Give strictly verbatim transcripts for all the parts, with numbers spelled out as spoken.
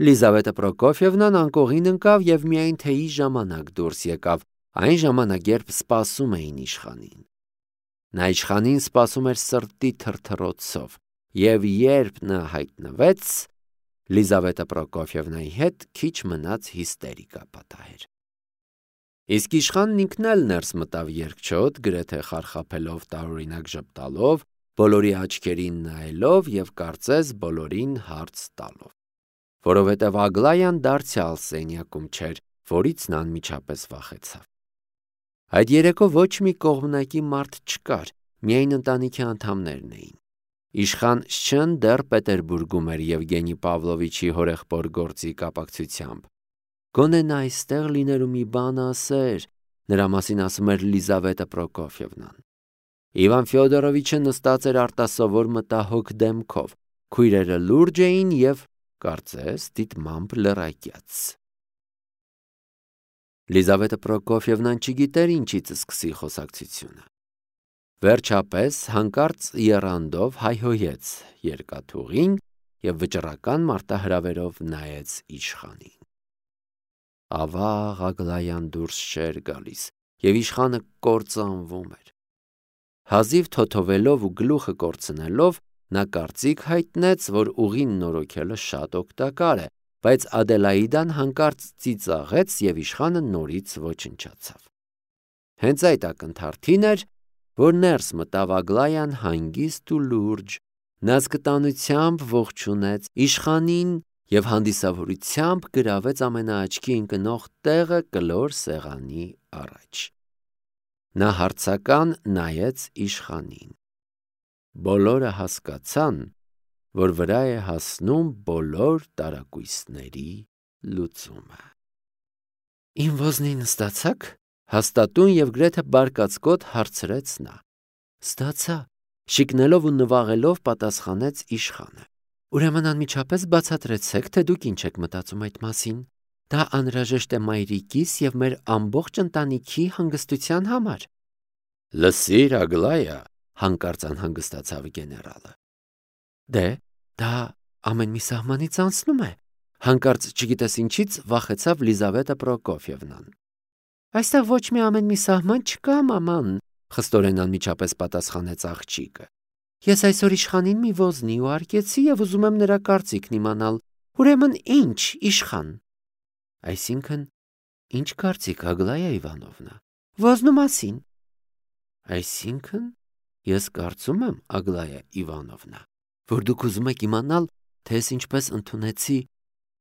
Լիզավետը Պրոկոֆիևնան անկողին ընկավ և միայն թեյի ժամանակ դուրս եկավ, այն ժամանակ, երբ սպասում էին իշխանին։ Նա իշխանին սպասում էր սրտի թրթռոցով, և երբ նա հայտնվեց, Լիզավետը Պրոկոֆիևնայի հետ քիչ մնաց հիստերիկա պատահեր։ Իսկ իշխանն ինքն էլ ներս մտավ երկչոտ, գրեթե խարխափելով, տարօրինակ ժպտալով, բոլորի աչքերին նայելով և կարծես բոլորին հարց տալով, որովհետև Ագլայան դարձյալ սենյակում չէր, որից նա անմիջապես վախեցավ։ Այդ երեկո ոչ մի կողմնակի մարդ չկար, միայն ընտանիքի անդամներն էին։ Իշխան Շչն դեռ Պետերբուրգում էր Եվգենի Պավլովիչի հորեղբոր գործի կապակցությամբ։ Գոնե նա այստեղ լինելու մի բան ասեր, նրա մասին ասում էր Լիզավետը Պրոկոֆիևնան։ Իվան Ֆյոդորովիչը նստած էր արտասովոր մտահոգ դեմքով, քույրերը լուրջ էին և, կարծես, դիտմամբ լռակյաց։ Լիզավետը Պրոկոֆիևնան չգիտեր ինչից սկսի խոսակցությունը։ Վերջապես հանկարծ եռանդով հայհոյեց երկաթուղին և վճռական մարտահրավերով նայեց իշխանին։ Ավաղ Ագլայան դուրս չէր գալիս, և իշխանը կործանվում էր։ Հազիվ թոթովելով ու գլուխը կորցնելով, նա կարծիք հայտնեց, որ ուղին նորոգելը շատ օգտակար է, բայց Ադելաիդան հանկարծ ծիծաղեց, և իշխանը նորից ոչնչացավ։ Հենց այդ ակնթարթին էր, որ ներս մտավ Ագլայան հանգիստ ու լուրջ, նա զգտանությամբ ողջունեց իշխանին և հանդիսավորությամբ գրավեց ամենաաչքի ընկնող տեղը կլոր սեղանի առաջ։ Նա հարցական նայեց իշխանին։ Բոլորը հասկացան, որ վրա է հասնում բոլոր տարակույսների լուծումը։ Իմ ոզնին ստացա՞ք, հաստատուն և գրեթե բարկացկոտ հարցրեց նա։ Ստացա, շիկնելով ու նվաղելով պատասխանեց իշխանը։ Ուրեմն անմիջապես բացատրեցեք, թե դուք ինչ եք մտածում այդ մասին։ Դա անհրաժեշտ է մայրիկիս և մեր ամբողջ ընտանիքի հանգստության համար։ Լսիր, Ագլայա, հանկարծ անհանգստացավ գեներալը։ Դե, դա ամեն մի սահմանից անցնում է, հանկարծ չգիտես ինչից վախեցավ Լիզավետը Պրոկոֆիևնան։ Այստեղ ոչ մի ամեն մի սահման չկա, մաման, խստորեն անմիջապես պատասխանեց աղջիկը։ Ես այսօր իշխանին մի ոզնի ուղարկեցի և ուզում եմ նրա կարծիքն իմանալ։ Ուրեմն ինչ, իշխան։ Այսինքն, ինչ կարծիք, Ագլայա Իվանովնա, ոզնու մասին։ Այսինքն, ես կարծում եմ, Ագլայա Իվանովնա, որ դուք ուզում եք իմանալ, թե ես ինչպես ընդունեցի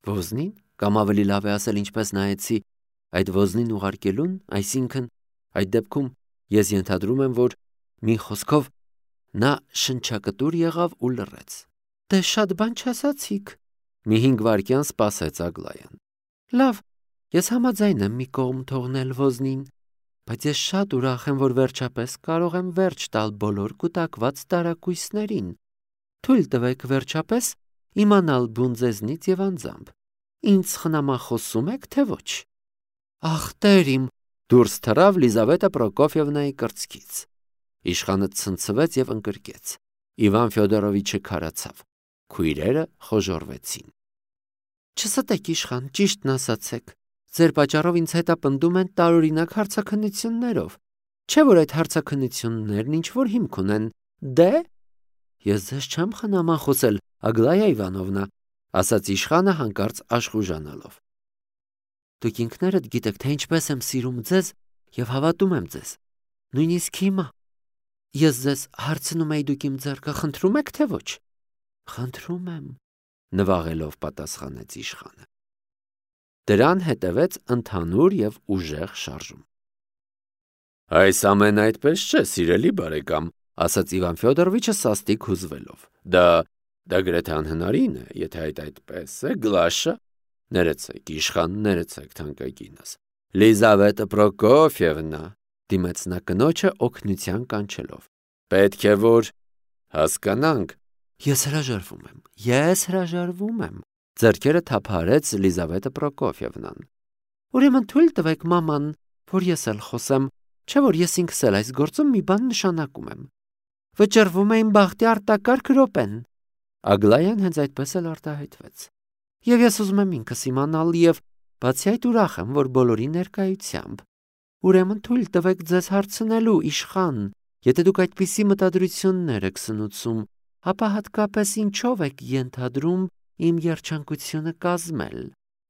ոզնին, կամ ավելի լավ է ասել, ինչպես նայեցի այդ ոզնին ուղարկելուն, այսինքն, այդ դեպքում ես ենթադրում եմ, որ մի խոսքով նա շնչակտուր եղավ ու լռեց։ Դե շատ բան չասացիք։ Մի հինգ վայրկյան սպասեց Ագլայան։ Լավ, ես համաձայն եմ մի կողմ թողնել ոզնին, բայց ես շատ ուրախ եմ, որ վերջապես կարող եմ վերջ տալ բոլոր կուտակված տարակույսներին։ Թույլ տվեք վերջապես իմանալ բուն ձեզնից և անձամբ։ Ինձ խնամախոսում եք, թե ոչ։ Ախ, տեր իմ, դուրս թռավ Լիզավետը Պրոկոֆիևնայի կրծքից։ Իշխանը ցնցվեց և ընկրկեց։ Իվան Ֆյոդորովիչը քարացավ։ Քույրերը խոժոռվեցին։ Չստեք, իշխան, ճիշտն ասացեք։ Ձեր պատճառով ինձ հետապնդում են տարօրինակ հարցաքննություններով։ Չէ՞ որ այդ հարցաքննություններն ինչ-որ հիմք ունեն։ Դե, ես ձեզ չեմ խնամախոսել, Ագլայա Իվանովնա, ասաց իշխանը հանկարծ աշխուժանալով։ Դուք ինքներդ գիտեք, թե ինչպես եմ սիրում ձեզ և հավատում եմ ձեզ։ Նույնիսկ հիմա։ Ես ձեզ հարցնում էի, դուք իմ ձեռքը խնդրում եք, թե ոչ։ Խնդրում եմ, նվաղելով պատասխանեց իշխանը։ Դրան հետևեց ընդհանուր և ուժեղ շարժում։ Այս ամենը այդպես չէ, սիրելի բարեկամ, ասաց Իվան Ֆյոդորովիչը սաստիկ հուզվելով։ Դա դա գրեթե անհնարին է, եթե այդ այդպես է, Գլաշա։ Ներեցեք, իշխան, ներեցեք, թանկագինս։ Լիզավետը Պրոկոֆիևնա, դիմեց նա կնոջը օգնության կանչելով։ Պետք է որ հասկանանք։ Ես հրաժարվում եմ, ես հրաժարվում եմ, ձեռքերը թափահարեց Լիզավետը Պրոկոֆիևնան։ Ուրեմն թույլ տվեք, մաման, որ ես էլ խոսեմ, չէ՞ որ ես ինքս էլ այս գործում մի բան նշանակում եմ։ Վճռվում է իմ բախտի արտակարգ րոպեն։ Ագլայան հենց այդպես էլ արտահայտվեց։ Եվ ես ուզում եմ ինքս իմանալ եւ բացի այդ ուրախ եմ, որ բոլորի ներկայությամբ։ Ուրեմն թույլ տվեք ձեզ հարցնելու, իշխան, եթե դուք այդպիսի մտադրություններ եք սնուցում, ապա հատկապես ինչով եք ենթադրում իմ երջանկությունը կազմել։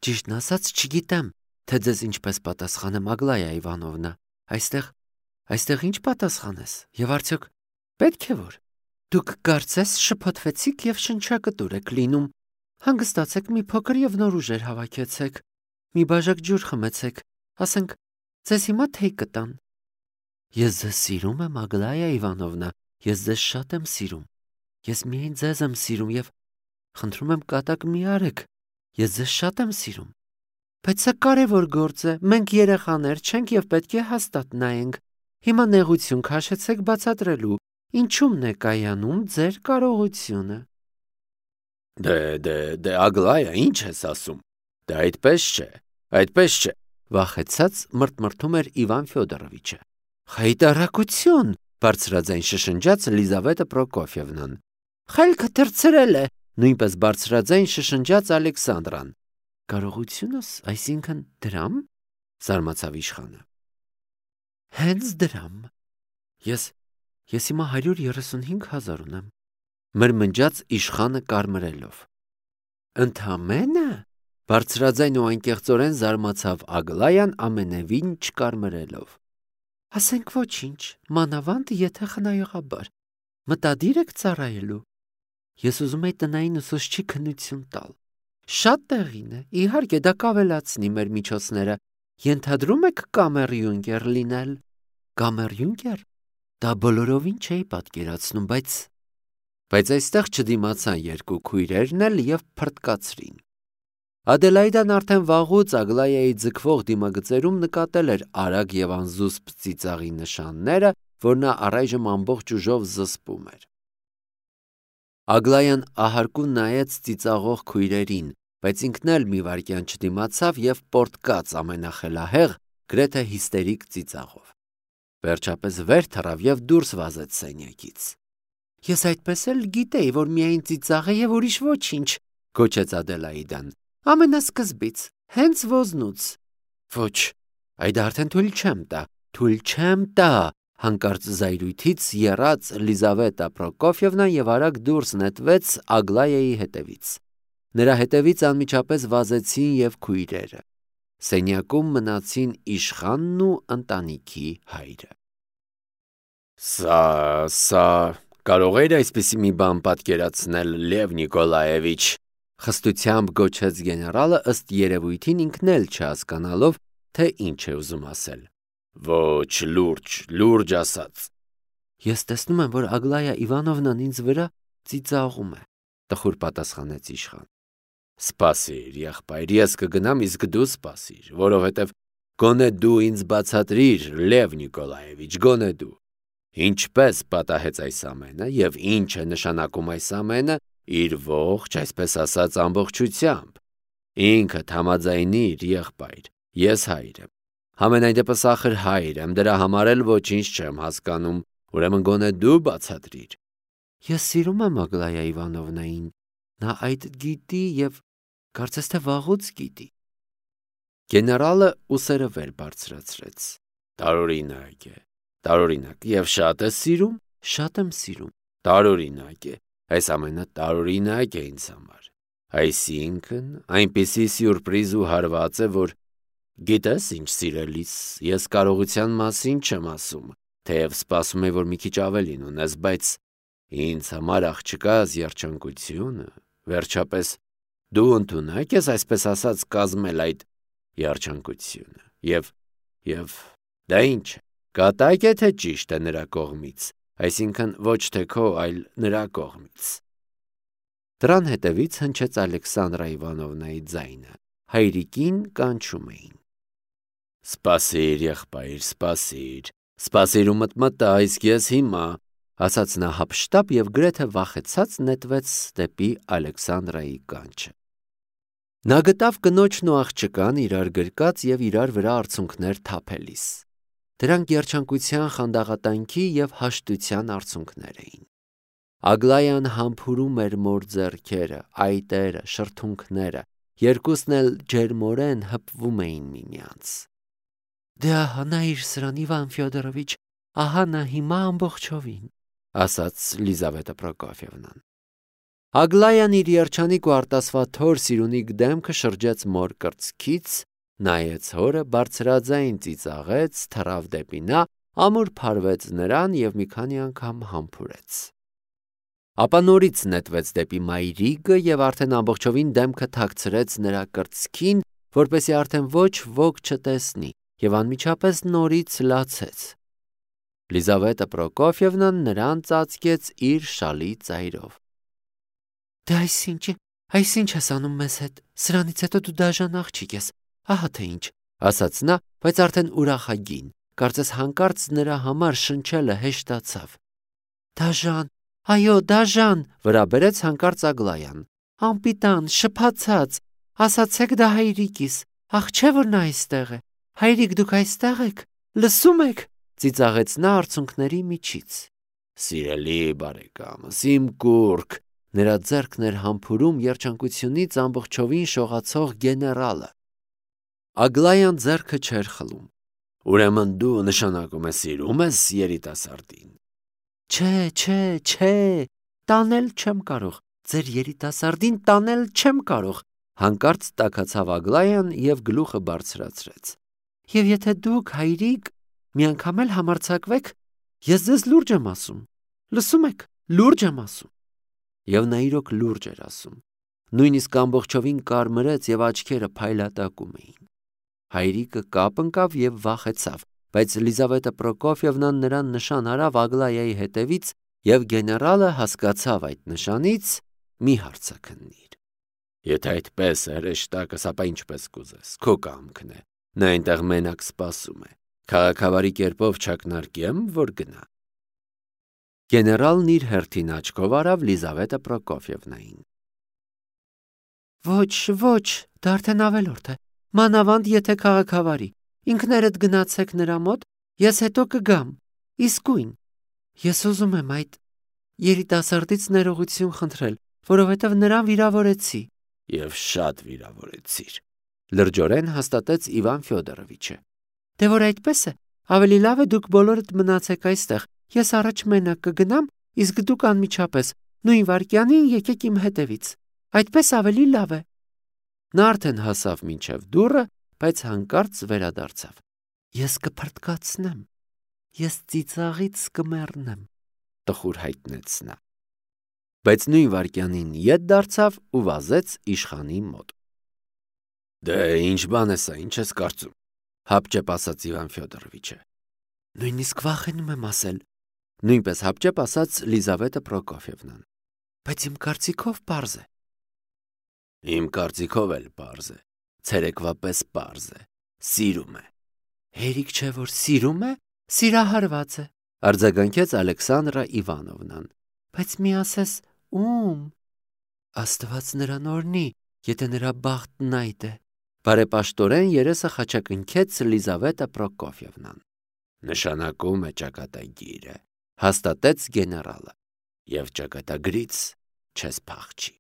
Ճիշտն ասած, չգիտեմ, թե ձեզ ինչպես պատասխանեմ, Ագլայա Իվանովնա։ Այստեղ, այստեղ ինչ պատասխանես։ Եվ արդյոք պետք է որ դուք կարծես շփոթվեցիք եւ շնչակտուր եք լինում։ Հանգստացեք, մի փոքր եւ նոր ուժեր հավաքեցեք։ Մի բաժակ ջուր խմեցեք, ասենք, ձեզ հիմա թեյ կտան։ Ես ձեզ սիրում եմ, Ագլայա Իվանովնա, ես ձեզ շատ եմ սիրում։ Ես միայն ձեզ եմ սիրում եւ խնդրում եմ կատակ մի արեք։ Ես ձեզ շատ եմ սիրում։ Բայց սա կարևոր գործ է։ Մենք երեխաներ չենք եւ պետք է հաստատ նայենք։ Հիմա նեղություն քաշեցեք բացատրելու, ինչու՞մն է կայանում ձեր կարողությունը։ Դե, դե, դե Ագլայա, ինչ ես ասում։ Դե այդպես չէ, այդպես չէ, վախեցած մրթմրթում էր Իվան Ֆյոդորովիչը։ Խայտարակություն, բարձրաձայն շշնջաց Լիզավետա Պրոկոֆիևնան։ Խելքը թրցրել է, նույնպես բարձրաձայն շշնջաց Ալեքսանդրան։ Կարողությունս, այսինքն դրամ, զարմացավ իշխանը։ Հենց դրամ։ Ես, ես հիմա հարյուր երեսունհինգ հազար ունեմ, մրմնջաց իշխանը կարմրելով։ Ընդամենը, բարձրաձայն ու անկեղծորեն զարմացավ Ագլայան ամենևին չկարմրելով։ Ասենք ոչինչ, մանավանդ եթե խնայողաբար, մտադիր եք ծառայելու։ Ես ուզում եի տնային ուսուցչի քննություն տալ։ Շատ տեղին է, իհարկե դա կավելացնի մեր միջոցները։ Ենթադրում եք կամերյունկեր լինել։ Կամերյունկեր։ Դա բոլորովին չէի պատկերացնում, բայց բայց այստեղ չդիմացան երկու քույրերն էլ եւ փրտկացրին։ Ադելայդան արդեն վաղուց Ագլայայի ձգվող դիմագծերում նկատել էր արագ եւ անզուսպ ծիծաղի նշանները, որ նա առայժմ ամբողջ ուժով զսպում էր։ Ագլայան ահարկուն նայեց ծիծաղող քույրերին, բայց ինքն էլ մի վայրկյան չդիմացավ եւ պորտկաց ամենախելահեղ, գրեթե հիստերիկ ծիծաղով։ Վերջապես վեր թռավ եւ դուրս վազեց սենյակից։ Ես այդպես էլ գիտեի, որ միայն ծիծաղ է եւ ուրիշ ոչինչ, գոչեց Ադելայդան։ Ամենասկզբից, հենց ոզնուց։ Ոչ, այդ արդեն թույլ չեմ տա, թույլ չեմ տա, հանկարծ զայրույթից եռաց Լիզավետա Պրոկոֆիևնան եւ արագ դուրս նետվեց Ագլայայի հետևից։ Նրա հետևից անմիջապես վազեցին եւ քույրերը։ Սենյակում մնացին իշխանն ու ընտանիքի հայրը։ Սա, սա, կարող էր այսպիսի մի բան պատկերացնել Լև Նիկոլաևիչ, խստությամբ գոչեց գեներալը, ըստ երևույթին ինքն էլ չհասկանալով, թե ինչ է ուզում ասել։ Ոչ, լուրջ, լուրջ ասած։ Ես տեսնում եմ, որ Ագլայա Իվանովնան ինձ վրա ծիծաղում է, տխուր պատասխանեց իշխան։ Սպասիր, եղբայր, ես կգնամ, իսկ դու սպասիր, որովհետև գոնե դու ինձ բացատրիր, Լև Նիկոլաևիչ, գոնե դու։ Ինչպես պատահեց այս ամենը եւ ինչ է նշանակում այս ամենը իր ողջ, այսպես ասած, ամբողջությամբ։ Ինքդ համաձայնիր, եղբայր, ես հայր եմ։ Համենայն դեպս ախր հայր եմ, դրա համար էլ ոչինչ չեմ հասկանում, ուրեմն գոնե դու բացատրիր։ Ես սիրում եմ Ագլայա Իվանովնային, նա այդ գիտի եւ կարծես թե վաղուց գիտի։ Գեներալը ուսերը վեր բարձրացրեց։ Տարօրինակ է, տարօրինակ, եւ շատ է սիրում, շատ եմ սիրում։ Տարօրինակ է, այս ամենը տարօրինակ է ինձ համար։ Այսինքն, այնպիսի սյուրպրիզ ու հարված է, որ գիտես ինչ, սիրելիս, ես կարողության մասին չեմ ասում, թեև սպասում եմ, որ մի քիչ ավելին ունես, բայց ինձ համար աղջկաս երջանկությունը, վերջապես դու ընդունակ ես, այսպես ասած, կազմել այդ երջանկությունը, եւ, եւ, դա ինչ է, կատակ է, թե ճիշտ է նրա կողմից, այսինքն ոչ թե քո, այլ նրա կողմից։ Դրան հետևից հնչեց Ալեքսանդրա Իվանովնայի ձայնը, հայրիկին կանչում էին։ Սպասիր, եղբայր, սպասիր, սպասիր ու մտմտա, իսկ ես հիմա, ասաց նա հափշտապ եւ գրեթե վախեցած նետվեց դեպի Ալեքսանդրայի կանչը։ Նա գտավ կնոջն ու աղջկան իրար գրկած եւ իրար վրա արցունքներ թափելիս։ Դրանք երջանկության, խանդաղատանքի եւ հաշտության արցունքներ էին։ Ագլայան համբուրում էր մոր ձեռքերը, այտերը, շրթունքները, երկուսն էլ ջերմորեն հպվում էին միմյանց։ Դե ահա նայիր սրան, Իվան Ֆյոդորովիչ, ահա նա հիմա ամբողջովին, ասաց Լիզավետա Պրոկոֆիևնան։ Ագլայան իր երջանիկ ու արտասվաթոր սիրունիկ դեմքը շրջեց մոր կրծքից, նայեց հորը, բարձրաձայն ծիծաղեց, թռավ դեպի նա, ամուր փարվեց նրան և մի քանի անգամ համբուրեց։ Ապա նորից նետվեց դեպի մայրիկը և արդեն ամբողջովին դեմքը թաքցրեց նրա կրծքին, որպեսզի արդեն ոչ ոք չտեսնի, և անմիջապես նորից լացեց։ Լիզավետա Պրոկոֆիևնան նրան ծածկեց իր շալի ծայրով։ Դե այսինչ, այսինչ ես անում մեզ հետ, սրանից հետո դու դաժան աղջիկ ես, ահա թե ինչ, ասաց նա, բայց արդեն ուրախագին, կարծես հանկարծ նրա համար շնչելը հեշտացավ։ Դաժան, այո, դաժան, վրա բերեց հանկարծ Ագլայան, անպիտան, շփացած, ասացեք դա հայրիկիս, ախ չէ որ նա այստեղ է, հայրիկ դուք այստեղ եք, լսում եք, ծիծաղեց նա արցունքների միջից։ Սիրելի բարեկամս, իմ կուռք, նրա ձեռքն էր համբուրում երջանկությունից ամբողջովին շողացող գեներալը։ Ագլայան ձեռքը չէր խլում։ Ուրեմն դու նշանակում ես սիրում ես երիտասարդին։ Չէ, չէ, չէ, տանել չեմ կարող, ձեր երիտասարդին տանել չեմ կարող, հանկարծ տաքացավ Ագլայան և գլուխը բարձրացրեց։ Եվ եթե դուք, հայրիկ, մի անգամ էլ համարձակվեք, ես ձեզ լուրջ եմ ասում, լսում եք, լուրջ եմ ասում։ Եվ նա իրոք լուրջ էր ասում, նույնիսկ ամբողջովին կարմրեց և աչքերը փայլատակում էին։ Հայրիկը կապ ընկավ և վախեցավ, բայց Լիզավետա Պրոկոֆիևնան նրան նշան արավ Ագլայայի հետևից և գեներալը հասկացավ այդ նշանից մի հարցաքննիր։ Եթե այդպես է հրեշտակս, ապա ինչպես կուզես, քո կամքն է, նա այնտեղ մենակ սպասում է, քաղաքավարի կերպով չակնարկեմ, որ գնա։ Գեներալն իր հերթին աչքով արավ Լիզավետա Պրոկոֆիևնային։ Ոչ, ոչ, դա արդեն ավելորդ է, մանավանդ եթե քաղաքավարի, ինքներդ գնացեք նրա մոտ, ես հետո կգամ, իսկույն, ես ուզում եմ այդ երիտասարդից ներողություն խնդրել, որովհետև նրան վիրավորեցի։ Եվ շատ վիրավորեցիր, լրջորեն հաստատեց Իվան Ֆյոդորովիչը։ Դե որ այդպես է, ավելի լավ է դուք բոլորդ մնացեք այստեղ, ես առաջ մենակ կգնամ, իսկ դուք անմիջապես նույն վայրկյանին եկեք իմ հետևից, այդպես ավելի լավ է։ Նա արդեն հասավ մինչև դուռը, բայց հանկարծ վերադարձավ։ Ես կփրտկացնեմ, ես ծիծաղից կմեռնեմ, տխուր հայտնեց նա։ Բայց նույն վայրկյանին ետ դարձավ ու վազեց իշխանի մոտ։ Դե ինչ բան է սա, ինչ ես կարծում, հապճեպ ասաց Իվան Ֆյոդորովիչը։ Նույնիսկ վախենում եմ ասել, նույնպես հապճեպ ասաց Լիզավետա Պրոկոֆիևնան։ Բայց իմ կարծիքով պարզ է։ Իմ կարծիքով էլ պարզ է, ցերեկվա պես պարզ է, սիրում է։ Հերիք չէ որ սիրում է, սիրահարված է, արձագանքեց Ալեքսանդրա Իվանովնան։ Բայց մի ասես ում։ Աստված նրան օրհնի, եթե նրա բախտն այդ է, բարեպաշտորեն երեսը խաչակնքեց Լիզավետա Պրոկոֆիևնան։ Նշանակում է ճակատագիրը, հաստատեց գեներալը, և ճակատագրից չես փախչի։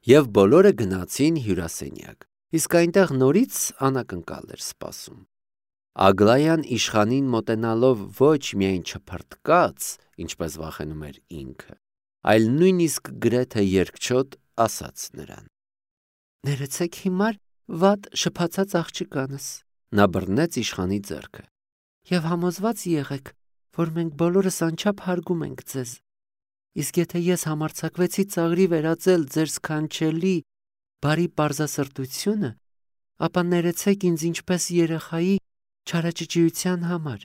Եվ բոլորը գնացին հյուրասենյակ, իսկ այնտեղ նորից անակնկալ էր սպասում։ Ագլայան իշխանին մոտենալով ոչ միայն չփրտկաց, ինչպես վախենում էր ինքը, այլ նույնիսկ գրեթե երկչոտ ասաց նրան. Ներեցեք հիմար վատ շփացած աղջկանս, նա բռնեց իշխանի ձեռքը, և համոզված եղեք, որ մենք բոլորս անչափ հարգում ենք ձեզ, իսկ եթե ես համարձակվեցի ծաղրի վերածել ձեր սքանչելի բարի պարզասրտությունը, ապա ներեցեք ինձ ինչպես երեխայի չարաճճիության համար,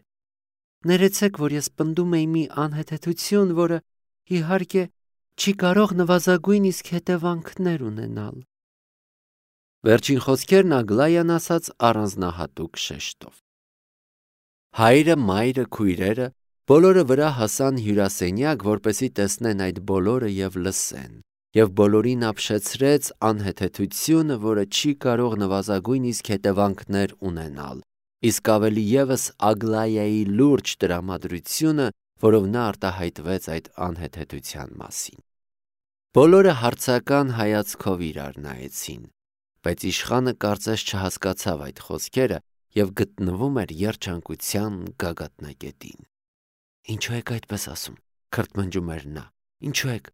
ներեցեք, որ ես պնդում էի մի անհեթեթություն, որը, իհարկե, չի կարող նվազագույն իսկ հետևանքներ ունենալ։ Վերջին խոսքերն Ագլայան ասաց առանձնահատուկ շեշտով։ Հայրը, մայրը, քույրերը բոլորը վրա հասան հյուրասենյակ, որպեսզի տեսնեն այդ բոլորը և լսեն, և բոլորին ապշեցրեց անհեթեթությունը, որը չի կարող նվազագույն իսկ հետևանքներ ունենալ, իսկ ավելի ևս Ագլայայի լուրջ տրամադրությունը, որով նա արտահայտվեց այդ անհեթեթության մասին։ Բոլորը հարցական հայացքով իրար նայեցին, բայց իշխանը կարծես չհասկացավ այդ խոսքերը և գտնվում էր երջանկության գագաթնակետին։ Ինչու եք այդպես ասում, քրթմնջում էր նա, ինչու եք,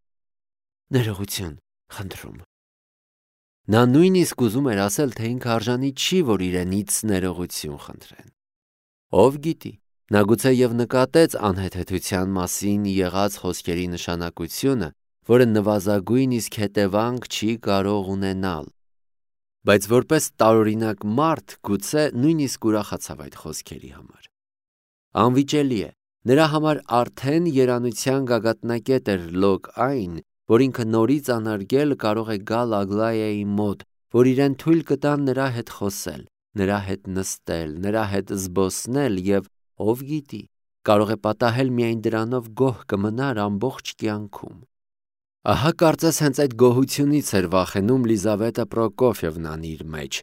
ներողություն, խնդրում։ Նա նույնիսկ ուզում էր ասել, թե ինքը արժանի չի, որ իրենից ներողություն խնդրեն։ Ով գիտի, նա գուցե և նկատեց անհեթեթության մասին եղած խոսքերի նշանակությունը, որը նվազագույն իսկ հետևանք չի կարող ունենալ, բայց որպես տարօրինակ մարդ գուցե նույնիսկ ուրախացավ այդ խոսքերի համար։ Անվիճելի է, նրա համար արդեն երանության գագաթնակետ էր լոկ այն, որ ինքը նորից անարգել կարող է գալ Ագլայայի մոտ, որ իրեն թույլ կտան նրա հետ խոսել, նրա հետ նստել, նրա հետ զբոսնել և, ով գիտի, կարող է պատահել միայն դրանով գոհ կմնար ամբողջ կյանքում։ Ահա կարծես հենց այդ գոհությունից էր վախենում Լիզավետա Պրոկոֆիևնան իր մեջ,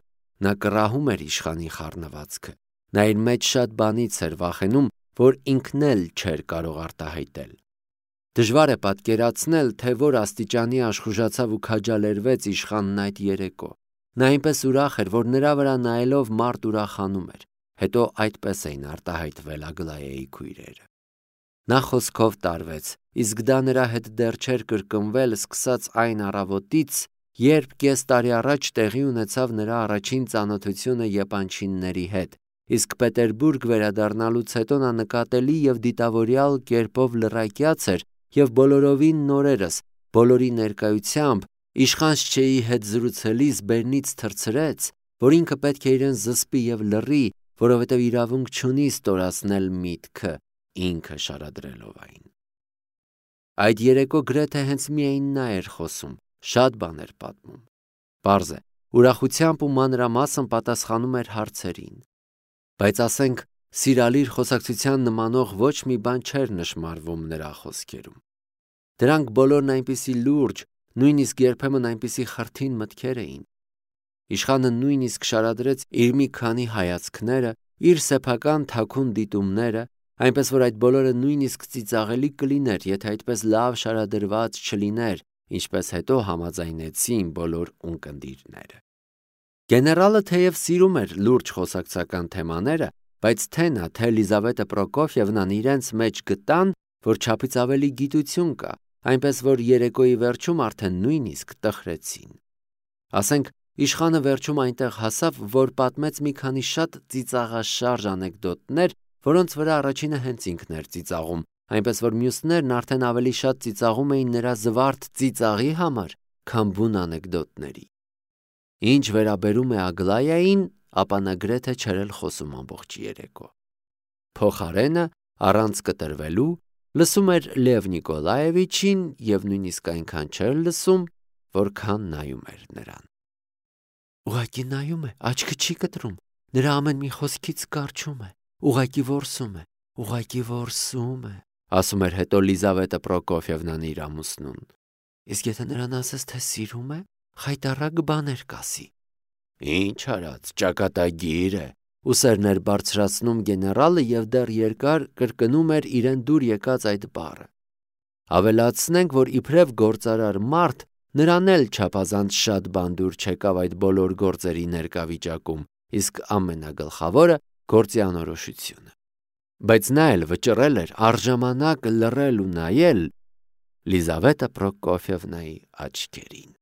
նա կռահում էր իշխանի խառնվածքը, նա իր մեջ շատ բանից էր վախենում, որ ինքն էլ չէր կարող արտահայտել։ Դժվար է պատկերացնել, թե որ աստիճանի աշխուժացավ ու քաջալերվեց իշխանն այդ երեկո։ Նա այնպես ուրախ էր, որ նրա վրա նայելով մարդ ուրախանում էր, հետո այդպես էին արտահայտվել Ագլայայի քույրերը։ Նա խոսքով տարվեց, իսկ դա նրա հետ դեռ չէր կրկնվել սկսած այն առավոտից, երբ կես տարի առաջ տեղի ունեցավ նրա առաջին ծանոթությունը եպանչինների հետ, իսկ Պետերբուրգ վերադառնալուց հետո նա նկատելի և դիտավորյալ կերպով լռակյաց էր և բոլորովին նորերս, բոլորի ներկայությամբ իշխան Շչեի հետ զրուցելիս բերնից թռցրեց, որ ինքը պետք է իրեն զսպի և լռի, որովհետև իրավունք չունի ստորացնել միտքը, ինքը շարադրելով այն։ Այդ երեկո գրեթե հենց միայն նա էր խոսում, շատ բան էր պատմում։ Պարզ է, ուրախությամբ ու մանրամասն պատասխանում էր հարցերին։ Բայց ասենք, սիրալիր խոսակցության նմանող ոչ մի բան չէր նշմարվում նրա խոսքերում։ Դրանք բոլորն այնպիսի լուրջ, նույնիսկ երբեմն այնպիսի խրթին մտքեր էին։ Իշխանը նույնիսկ շարադրեց իր մի քանի հայացքները, իր սեփական թաքուն դիտումները, այնպես որ այդ բոլորը նույնիսկ ծիծաղելի կլիներ, եթե այդպես լավ շարադրված չլիներ, ինչպես հետո համաձայնեցին բոլոր ունկնդիրները։ Գեներալը թեև սիրում էր լուրջ խոսակցական թեմաները, բայց թե նա, թե Լիզավետա Պրոկոֆիևնան իրենց մեջ գտան, որ չափից ավելի գիտություն կա, այնպես որ երեկոյի վերջում արդեն նույնիսկ տխրեցին։ Ասենք, իշխանը վերջում այնտեղ հասավ, որ պատմեց մի քանի շատ ծիծաղաշարժ անեկդոտներ, որոնց վրա առաջինը հենց ինքն էր ծիծաղում, այնպես որ մյուսներն արդեն ավելի շատ ծիծաղում էին նրա զվարթ ծիծաղի համար, քան բուն անեկդոտների։ Ինչ վերաբերում է Ագլայային, ապա նա գրեթե չէր էլ խոսում ամբողջ երեկո։ Փոխարենը, առանց կտրվելու, լսում էր Լև Նիկոլաևիչին և նույնիսկ այնքան չէր լսում, որքան նայում էր նրան։ Ուղղակի նայում է, աչքը չի կտրում, նրա ամեն մի խոսքից կառչում է, ուղղակի որսում է, ուղղակի որսում է, ասում էր հետո Լիզավետա Պրոկոֆիևնան իր ամուսնուն։ Իսկ եթե նրան ասես, թե սիրում է, խայտառակ բաներ կասի։ Ինչ արած, ճակատագիր է, ուսերներ բարձրացնում գեներալը և դեռ երկար կրկնում էր իրեն դուր եկած այդ բառը։ Ավելացնենք, որ իբրև գործարար մարդ, նրան էլ չափազանց շատ բան դուր չեկավ այդ բոլոր գործերի ներկա վիճակում, իսկ ամենագլխավորը գործի անորոշությունը։ Բայց նա էլ վճռել էր առժամանակ լռել ու նայել Լիզավետա Պրոկոֆիևնայի աչքերին։